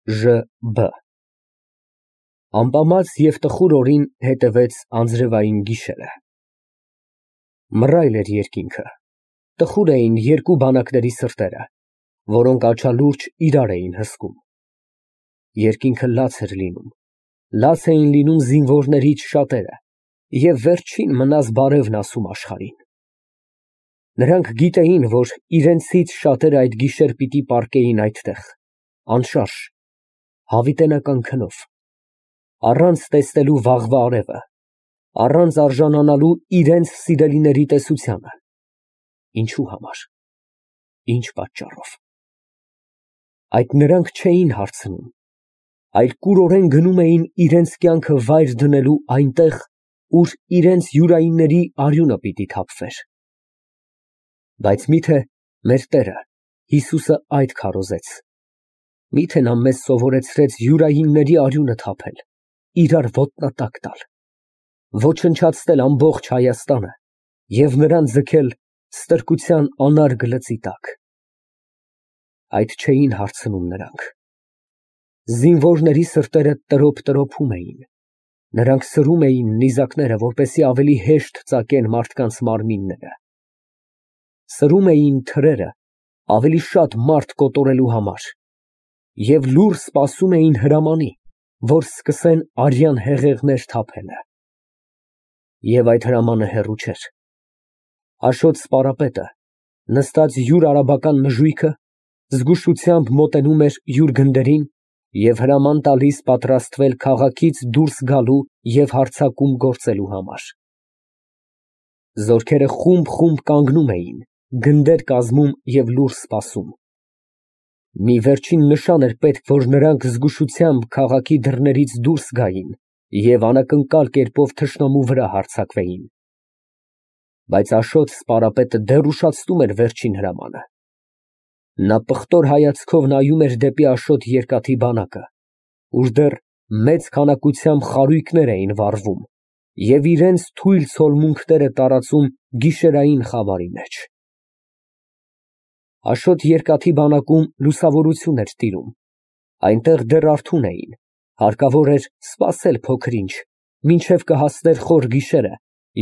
Ժ.Բ. Ամպամած և տխուր օրին հետևեց անձրևային գիշերը։ Մռայլ էր երկինքը, տխուր էին երկու բանակների սրտերը, որոնք աչալուրջ իրար էին հսկում։ Երկինքը լաց էր լինում, լաց էին լինում զինվորներից շատերը, և վերջին մնաս բարևն ասում աշխարհին։ Նրանք գիտեին, որ իրենցից շատերը այդ գիշեր պիտի պառկեին այդտեղ, անշարժ, հավիտենական քնով, առանց տեսնելու վաղվա արևը, առանց արժանանալու իրենց սիրելիների տեսությանը։ Ինչու համար, ինչ պատճառով։ Այդ նրանք չէին հարցնում, այլ կուրորեն գնում էին իրենց կյանքը վայր դնելու այնտեղ, ուր իրենց յուրայինների արյունը պիտի թափվեր։ Բայց միթե մեր Տերը Հիսուսը այդ քարոզեց։ Միթե նա մեզ սովորեցրեց յուրայինների արյունը թափել, իրար ոտնատակ տալ, ոչնչացնել ամբողջ Հայաստանը և նրան ձգել ստրկության անարգ լծի տակ։ Այդ չէին հարցնում նրանք։ Զինվորների սրտերը տրոփ֊տրոփում էին, նրանք սրում էին նիզակները, որպեսզի ավելի հեշտ ծակեն մարդկանց մարմինները։ Սրում էին թրերը ավելի շատ մարդ կոտորելու համար և լուռ սպասում էին հրամանի, որ սկսեն արյան հեղեղներ թափելը։ Եվ այդ հրամանը հեռու չէր։ Աշոտ սպարապետը, նստած յուր արաբական նժույգը, զգուշությամբ մոտենում էր յուր գնդերին և հրաման տալիս պատրաստվել քաղաքից դուրս գալու և հարձակում գործելու համար։ Զորքերը խումբ կանգնում էին, գնդեր կազմում և լուռ սպասում։ Մի վերջին նշան էր պետք, որ նրանք զգուշությամբ քաղաքի դռներից դուրս գային և անակնկալ կերպով թշնամու վրա հարձակվեին։ Բայց Աշոտ սպարապետը դեռ ուշացնում էր վերջին հրամանը։ Նա պղտոր հայացքով նայում էր դեպի Աշոտ երկաթի բանակը, ուր դեռ մեծ քանակությամբ խարույկներ էին վառվում և իրենց թույլ ցոլմունքները տարածում գիշերային խավարի մեջ։ Աշոտ երկաթի բանակում լուսավորություն էր տիրում, այնտեղ դեռ արթուն էին, հարկավոր էր սպասել փոքր ինչ, մինչև կհասներ խոր գիշերը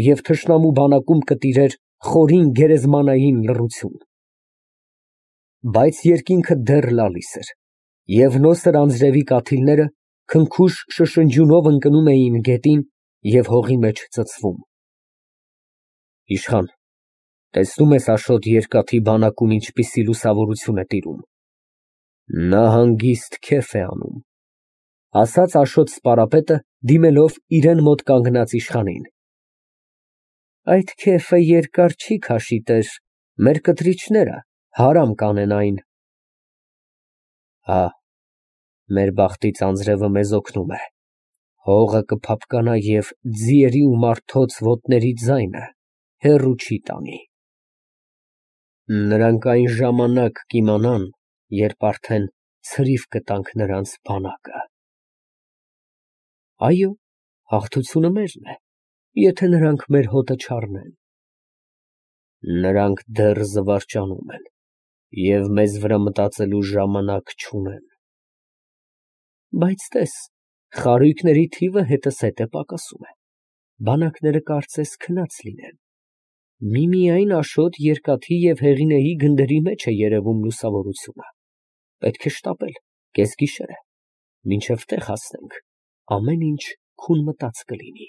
և թշնամու բանակում կտիրեր խորին գերեզմանային լռություն։ Բայց երկինքը դեռ լալիս էր, և նոսր անձրևի կաթիլները քնքուշ շշնջյունով ընկնում էին գետին և հողի մեջ ծծվում։ Իշխան, տեսնո՞ւմ ես Աշոտ երկաթի բանակում ինչպիսի լուսավորություն է տիրում։ Նա հանգիստ քեֆ է անում, ֊ ասաց Աշոտ սպարապետը, դիմելով իրան մոտ կանգնած իշխանին։ Այդ քեֆը երկար չի քաշի, տեր, մեր կտրիչները հարամ կանեն այն։ Հա, մեր բախտից անձրևը մեզ օգնում է, հողը կփափկանա և ձիերի ու մարդոց ոտների ձայնը հեռու չի տանի։ Նրանք այն ժամանակ կիմանան, երբ արդեն ցրիվ կտանք նրանց բանակը։ Այո, հաղթությունը մերն է, եթե նրանք մեր հոտը չառնեն։ Նրանք դեռ զվարճանում են և մեզ վրա մտածելու ժամանակ չունեն։ Բայց տես, խարույկների թիվը հետզհետե պակասում է, բանակները կարծես քնած լինեն։ Միմիայն Աշոտ երկաթի և Հեղինեի գնդերի մեջ է երևում լուսավորությունը։ Պետք է շտապել, կեսգիշեր է, մինչև տեղ հասնենք, ամեն ինչ քուն մտած կլինի։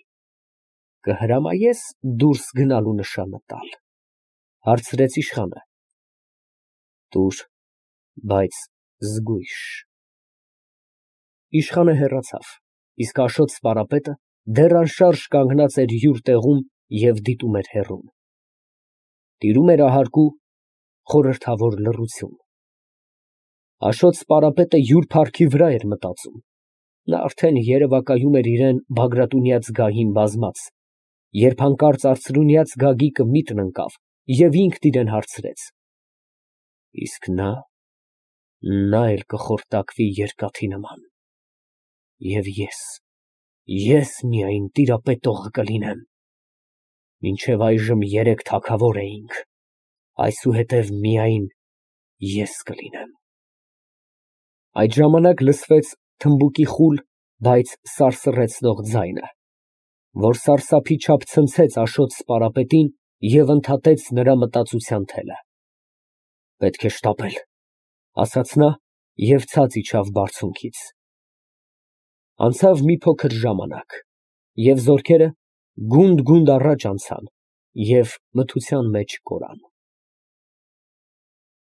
Կհրամայե՞ս դուրս գնալու նշանը տալ, ֊ հարցրեց իշխանը։ Տուր, բայց զգույշ։ Իշխանը հեռացավ, իսկ Աշոտ սպարապետը դեռ անշարժ կանգնած էր յուր տեղում և դիտում էր հեռուն։ Տիրում էր ահարգու, խորհրդավոր լռություն։ Աշոտ սպարապետը յուր փառքի վրա էր մտածում։ Նա արդեն երևակայում էր իրան Բագրատունյա զգահին բազմած, երբ հանկարծ արծրունյաց Գագիկը միտն ընկավ և ինքն իրան հարցրեց. Իսկ նա էլ կխորտակվի երկաթի նման։ Եվ ես միայն տիրապետողը կլինեմ։ Մինչև այժմ 3 թագավոր էինք, այսուհետև միայն ես կլինեմ։ Այդ ժամանակ լսվեց թմբուկի խուլ, բայց սարսռեցնող ձայնը, որ սարսափի չափ ցնցեց Աշոտ սպարապետին և ընդհատեց նրա մտածության թելը։ «Պետք է շտապել», ֊ ասաց նա և ցած իջավ բարձունքից։ Անցավ մի փոքր ժամանակ, և զորքերը գունդ֊գունդ առաջ անցան և մթության մեջ կորան։